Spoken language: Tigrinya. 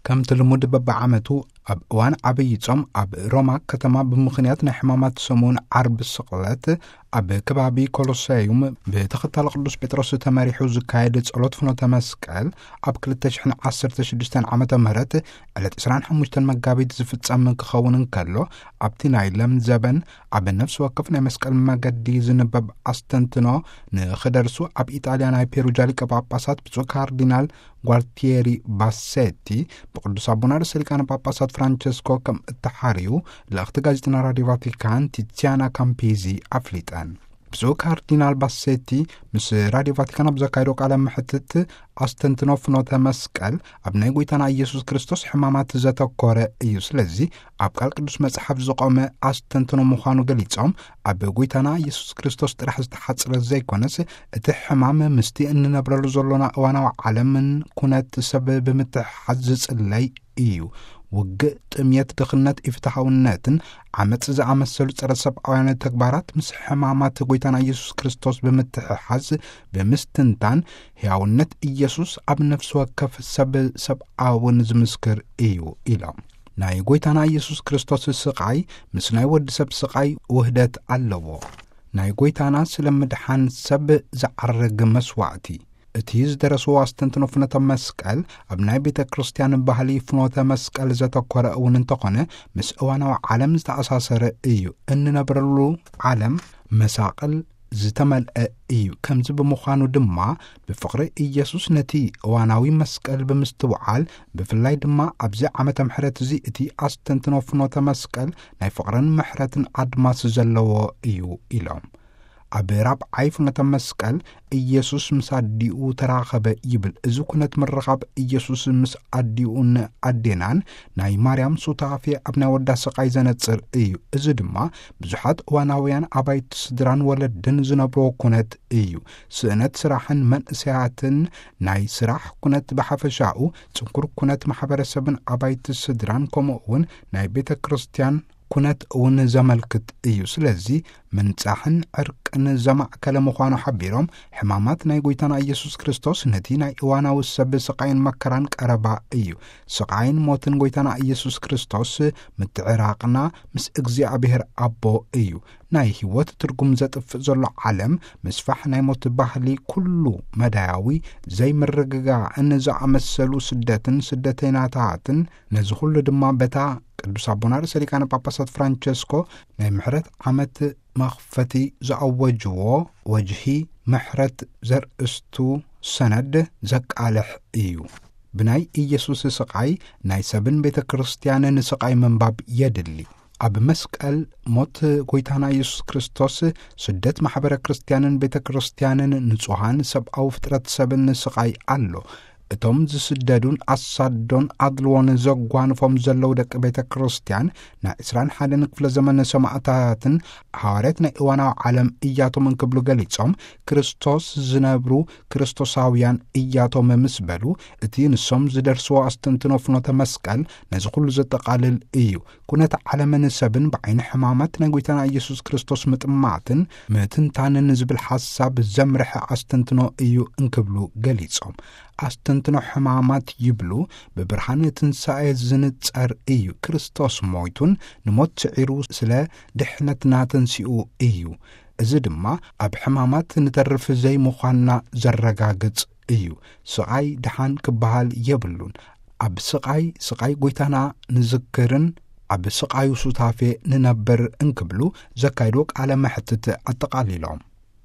ከምቲ ልሙድ በብዓመቱ ኣብ እዋን ዓብዪ ጾም ኣብ ሮማ ከተማ ብምኽንያት ናይ ሕማማት ሰሙን ዓርቢ ስቕለት ኣብ ከባቢ ኮሎሰዩም ብተኸታሊ ቅዱስ ጴጥሮስ ተመሪሑ ዝካየድ ጸሎት ፍኖተ መስቀል ኣብ ክልተ ሽሕን ዓሰርተ ሽዱሽተን ዓመተ ምህረት ዕለት ዕስራን ሓሙሽተን መጋቢት ዝፍጸም ክኸውን እንከሎ፣ ኣብቲ ናይ ለም ዘበን ኣብ ነፍሲ ወከፍ ናይ መስቀል መገዲ ዝንበብ ኣስተንትኖ ንኽደርሱ ኣብ ኢጣልያ ናይ ፔሩጃ ሊቀ ጳጳሳት ብፁዕ ካርዲናል ጓልቲየሪ ባሴቲ ብቅዱስ ኣቦና ርእሰ ሊቃነ ጳጳሳት ፍራንቸስኮ ከም እተሓርዩ ልእኽቲ ጋዜጠና ራዲዮ ቫቲካን ቲቲያና ካምፒዚ ኣፍሊጠን። ብፁዕ ካርዲናል ባሴቲ ምስ ራዲዮ ቫቲካን ኣብ ዘካየዶ ቃለ መሕትት፣ ኣስተንትኖ ፍኖተ መስቀል ኣብ ናይ ጎይታና ኢየሱስ ክርስቶስ ሕማማት ዘተኮረ እዩ። ስለዚ ኣብ ቃል ቅዱስ መጽሓፍ ዝቆመ ኣስተንትኖ ምዃኑ ገሊጾም፣ ኣብ ጎይታና ኢየሱስ ክርስቶስ ጥራሕ ዝተሓጽረ ዘይኮነስ፣ እቲ ሕማም ምስቲ እንነብረሉ ዘሎና እዋናዊ ዓለምን ኩነት ሰብ ብምትሕሓዝ ዝጽለይ እዩ። ውግእ፣ ጥምየት፣ ድኽነት፣ ኢፍትሓውነትን ዓመጽ ዝኣመሰሉ ጸረ ሰብኣውያን ተግባራት ምስ ሕማማት ጎይታና ኢየሱስ ክርስቶስ ብምትሕሓዝ፣ ብምስትንታን፣ ሕያውነት ኢየሱስ ኣብ ነፍሲ ወከፍ ሰብ ሰብኣውን ዝምስክር እዩ ኢሎም። ናይ ጎይታና ኢየሱስ ክርስቶስ ስቓይ ምስ ናይ ወዲ ሰብ ስቓይ ውህደት ኣለዎ። ናይ ጎይታና ስለ ምድሓን ሰብ ዝዓርግ መስዋዕቲ፣ እቲ ዝደረስዎ ኣስተንትኖ ፍኖተ መስቀል ኣብ ናይ ቤተ ክርስቲያን ባህሊ ፍኖተ መስቀል ዘተኮረ እውን እንተኾነ፣ ምስ እዋናዊ ዓለም ዝተኣሳሰረ እዩ። እንነብረሉ ዓለም መሳቕል ዝተመልአ እዩ። ከምዚ ብምዃኑ ድማ፣ ብፍቕሪ ኢየሱስ ነቲ እዋናዊ መስቀል ብምስትውዓል፣ ብፍላይ ድማ ኣብዚ ዓመተ ምሕረት እዚ እቲ ኣስተንትኖ ፍኖተ መስቀል ናይ ፍቕርን ምሕረትን ኣድማስ ዘለዎ እዩ ኢሎም። ኣብ ራብዓይ ፍኖተ መስቀል ኢየሱስ ምስ ኣዲኡ ተራኸበ ይብል። እዚ ኩነት ምርኻብ ኢየሱስ ምስ ኣዲኡን ኣዴናን ናይ ማርያም ሱታፌ ኣብ ናይ ወዳ ስቓይ ዘነጽር እዩ። እዚ ድማ ብዙሓት እዋናውያን ኣባይቲ ስድራን ወለድን ዝነብርዎ ኩነት እዩ። ስእነት ስራሕን መንእሰያትን፣ ናይ ስራሕ ኩነት ብሓፈሻኡ፣ ጽንኩር ኩነት ማሕበረሰብን ኣባይቲ ስድራን፣ ከምኡ እውን ናይ ቤተ ክርስቲያን ኩነት እውን ዘመልክት እዩ። ስለዚ ምንጻሕን ዕርቅን ዘማእከለ ምዃኑ ሓቢሮም፣ ሕማማት ናይ ጎይታና ኢየሱስ ክርስቶስ ነቲ ናይ እዋናዊ ሰብ ስቓይን መከራን ቀረባ እዩ። ስቓይን ሞትን ጎይታና ኢየሱስ ክርስቶስ ምትዕራቕና ምስ እግዚኣብሔር ኣቦ እዩ። ናይ ህይወት ትርጉም ዘጥፍእ ዘሎ ዓለም፣ ምስፋሕ ናይ ሞት ባህሊ፣ ኩሉ መዳያዊ ዘይምርግጋእን ዝኣመሰሉ ስደትን ስደተይናታትን፣ ነዚ ኩሉ ድማ በታ ቅዱስ ኣቦና ርእሰ ሊቃነ ጳጳሳት ፍራንቸስኮ ናይ ምሕረት ዓመት መኽፈቲ ዝኣወጅዎ ወጅሂ ምሕረት ዘርእስቱ ሰነድ ዘቃልሕ እዩ። ብናይ ኢየሱስ ስቓይ ናይ ሰብን ቤተ ክርስቲያንን ስቓይ ምንባብ የድሊ። ኣብ መስቀል ሞት ጎይታና ኢየሱስ ክርስቶስ ስደት ማሕበረ ክርስቲያንን ቤተ ክርስቲያንን ንጹሃን ሰብኣዊ ፍጥረት ሰብን ስቓይ ኣሎ። እቶም ዝስደዱን ኣሳዶን ኣድልዎን ዘጓንፎም ዘለዉ ደቂ ቤተ ክርስቲያን ናይ ዕስራን ሓደን ክፍለ ዘመን ሰማዕታትን ሃዋርያት ናይ እዋናዊ ዓለም እያቶም እንክብሉ ገሊጾም፣ ክርስቶስ ዝነብሩ ክርስቶሳውያን እያቶም ምስ በሉ፣ እቲ ንሶም ዝደርስዎ ኣስተንትኖ ፍኖተ መስቀል ነዚ ኩሉ ዘጠቓልል እዩ። ኩነተ ዓለምን ሰብን ብዓይኒ ሕማማት ናይ ጎይታና ኢየሱስ ክርስቶስ ምጥማትን ምትንታንን ዝብል ሓሳብ ዘምርሐ ኣስተንትኖ እዩ እንክብሉ ገሊጾም። ኣስተንትኖ ሕማማት ይብሉ፣ ብብርሃን ትንሳኤ ዝንጸር እዩ። ክርስቶስ ሞይቱን ንሞት ስዒሩ ስለ ድሕነትና ተንሲኡ እዩ። እዚ ድማ ኣብ ሕማማት ንተርፍ ዘይምዃንና ዘረጋግጽ እዩ። ስቓይ ደሓን ክበሃል የብሉን። ኣብ ስቓይ፣ ስቓይ ጎይታና ንዝክርን ኣብ ስቓዩ ሱታፌ ንነብር እንክብሉ ዘካይድዎ ቃለ መሕትት ኣጠቓሊሎም።